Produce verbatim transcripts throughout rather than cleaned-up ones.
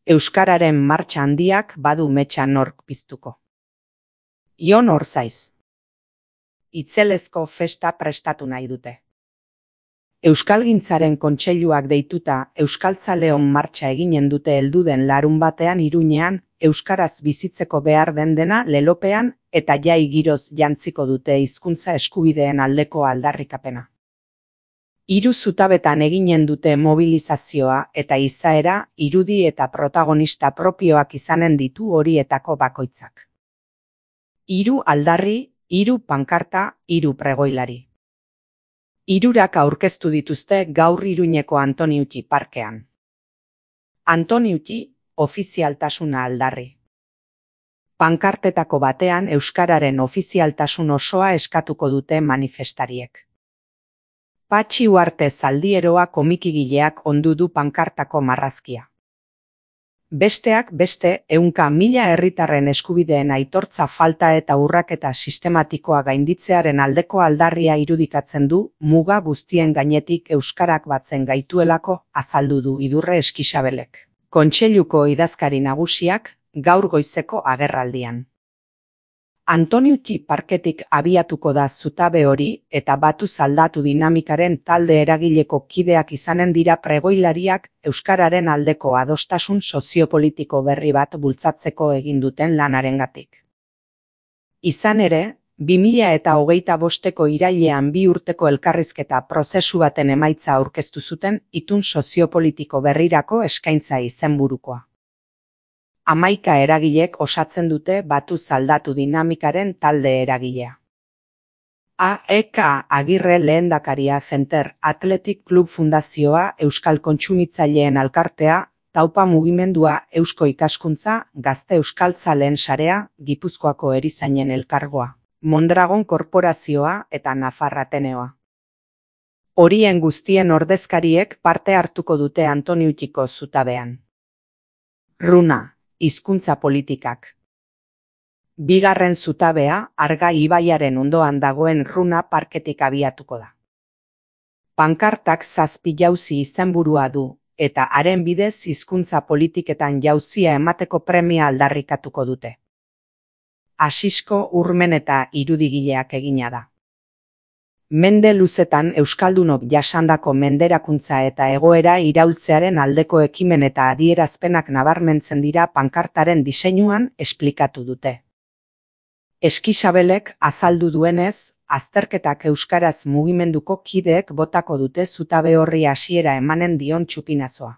Euskararen martxa handiak badu metxa nork piztuko. Jon Orzaiz. Itzelezko festa prestatu nahi dute. Euskalgintzaren kontseiluak deituta Euskaltzaleon martxa eginen dute helduden larun batean Iruñean, euskaraz bizitzeko behar den dena lelopean eta jai giroz jantziko dute hizkuntza eskubideen aldeko aldarrikapena. Hiru zutabetan eginen dute mobilizazioa eta izaera, irudi eta protagonista propioak izanen ditu horietako bakoitzak. Hiru aldarri, hiru pankarta, hiru pregoilari. Hirurak aurkeztu dituzte gaur Iruñeko Antoniuti parkean. Antoniuti, ofizialtasuna aldarri. Pankartetako batean euskararen ofizialtasun osoa eskatuko dute manifestariek. Patxi Uarte Zaldieroa komikigileak ondu du pankartako marrazkia. Besteak beste, ehunka mila herritarren eskubideen aitortza falta eta urraketa sistematikoa gainditzearen aldeko aldarria irudikatzen du, muga guztien gainetik euskarak batzen gaituelako azaldu du Idurre Eskixabelek. Kontseiluko idazkari nagusiak, gaur goizeko agerraldian. Antoniuti parketik abiatuko da zutabe hori eta batuz aldatu dinamikaren talde eragileko kideak izanen dira pregoilariak euskararen aldeko adostasun soziopolitiko berri bat bultzatzeko egin duten lanarengatik. Izan ere, bi mila eta hogeita bosteko irailean bi urteko elkarrizketa prozesu baten emaitza aurkeztu zuten itun soziopolitiko berrirako eskaintza izenburukoa. Hamaika eragilek osatzen dute batuz aldatu dinamikaren talde eragilea. A E K Agirre Lehendakaria Center Athletic Club Fundazioa, Euskal Kontsumitzaileen Alkartea, Taupa Mugimendua, Eusko Ikaskuntza, Gazte Euskaltzaleen Sarea, Gipuzkoako Erizainen Elkargoa, Mondragon Korporazioa eta Nafar Ateneoa. Horien guztien ordezkariek parte hartuko dute Antoniutiko zutabean. Runa. Hizkuntza politikak. Bigarren zutabea, Arga ibaiaren ondoan dagoen Runa parketik abiatuko da. Pankartak zazpi jauzi izenburua du, eta haren bidez hizkuntza politiketan jauzia emateko premia aldarrikatuko dute. Asisko Urmen eta irudigileak egina da. Mende luzetan euskaldunok jasandako menderakuntza eta egoera iraultzearen aldeko ekimen eta adierazpenak nabarmentzen dira pankartaren diseinuan esplikatu dute. Eskixabelek azaldu duenez, azterketak euskaraz mugimenduko kideek botako dute zutabe horri hasiera emanen dion txupinazoa.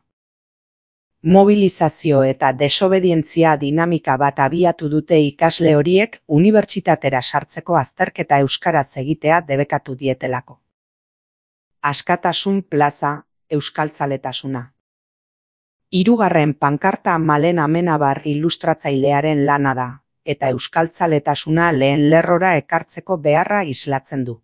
Mobilizazio eta desobedientzia dinamika bat abiatu dute ikasle horiek unibertsitatera sartzeko azterketa euskaraz egitea debekatu dietelako. Askatasun plaza, euskaltzaletasuna. Hirugarren pankarta Malen Amenabar ilustratzailearen lana da, eta euskaltzaletasuna lehen lerrora ekartzeko beharra islatzen du.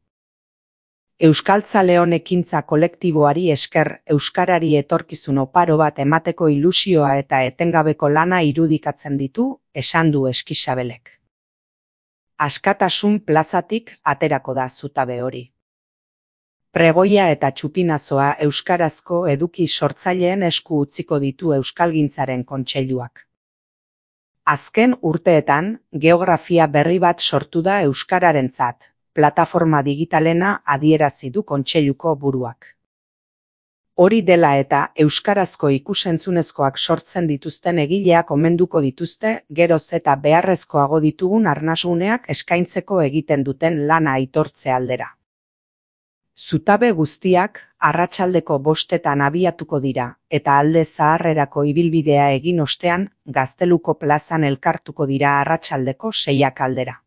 Euskaltzaleon ekintza kolektiboari esker euskarari etorkizun oparo bat emateko ilusioa eta etengabeko lana irudikatzen ditu, esan du Eskixabelek. Askatasun plazatik aterako da zutabe hori. Pregoia eta txupinazoa euskarazko eduki sortzaileen esku utziko ditu Euskalgintzaren kontseiluak. Azken urteetan, geografia berri bat sortu da euskararentzat. Plataforma digitalena adierazi du kontseiluko buruak. Hori dela eta euskarazko ikusentzunezkoak sortzen dituzten egileak omenduko dituzte geroz eta beharrezkoago ditugun arnasuneak eskaintzeko egiten duten lana aitortze aldera. Zutabe guztiak arratsaldeko bostetan abiatuko dira eta alde zaharrerako ibilbidea egin ostean Gazteluko plazan elkartuko dira arratsaldeko seiak aldera.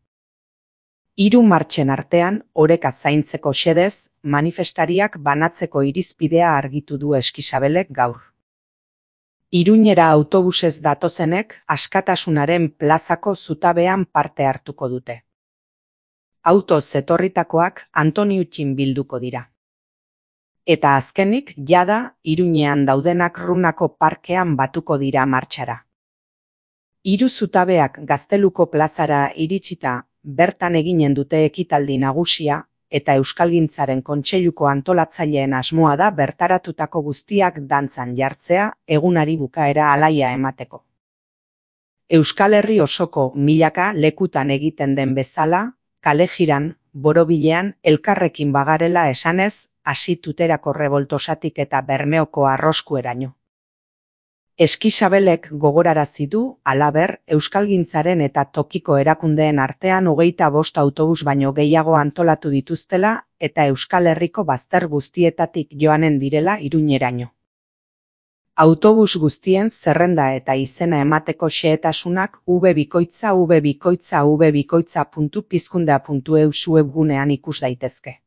Hiru martxen artean, oreka zaintzeko xedez, manifestariak banatzeko irizpidea argitu du Eskixabelek gaur. Iruñera autobusez datozenek Askatasunaren plazako zutabean parte hartuko dute. Autoz etorritakoak Antoniutin bilduko dira. Eta azkenik, jada, Iruñean daudenak Runako parkean batuko dira martxara. Hiru zutabeak Gazteluko plazara iritsita, bertan eginen dute ekitaldi nagusia, eta Euskalgintzaren Kontseiluko antolatzaileen asmoa da bertaratutako guztiak dantzan jartzea egunari bukaera alaia emateko. Euskal Herri osoko milaka lekutan egiten den bezala, kale-jiran, borobilean elkarrekin bagarela esanez, hasi Tuterako reboltosatik eta Bermeoko arroskueraino. Eskisabelek gogorarazi du, halaber, Euskalgintzaren eta tokiko erakundeen artean hogeita bost autobus baino gehiago antolatu dituztela eta Euskal Herriko bazter guztietatik joanen direla Iruñeraino. Autobus guztien zerrenda eta izena emateko xehetasunak www.bikoitza www.bikoitza puntu pizkundea puntu e u webgunean ikus daitezke.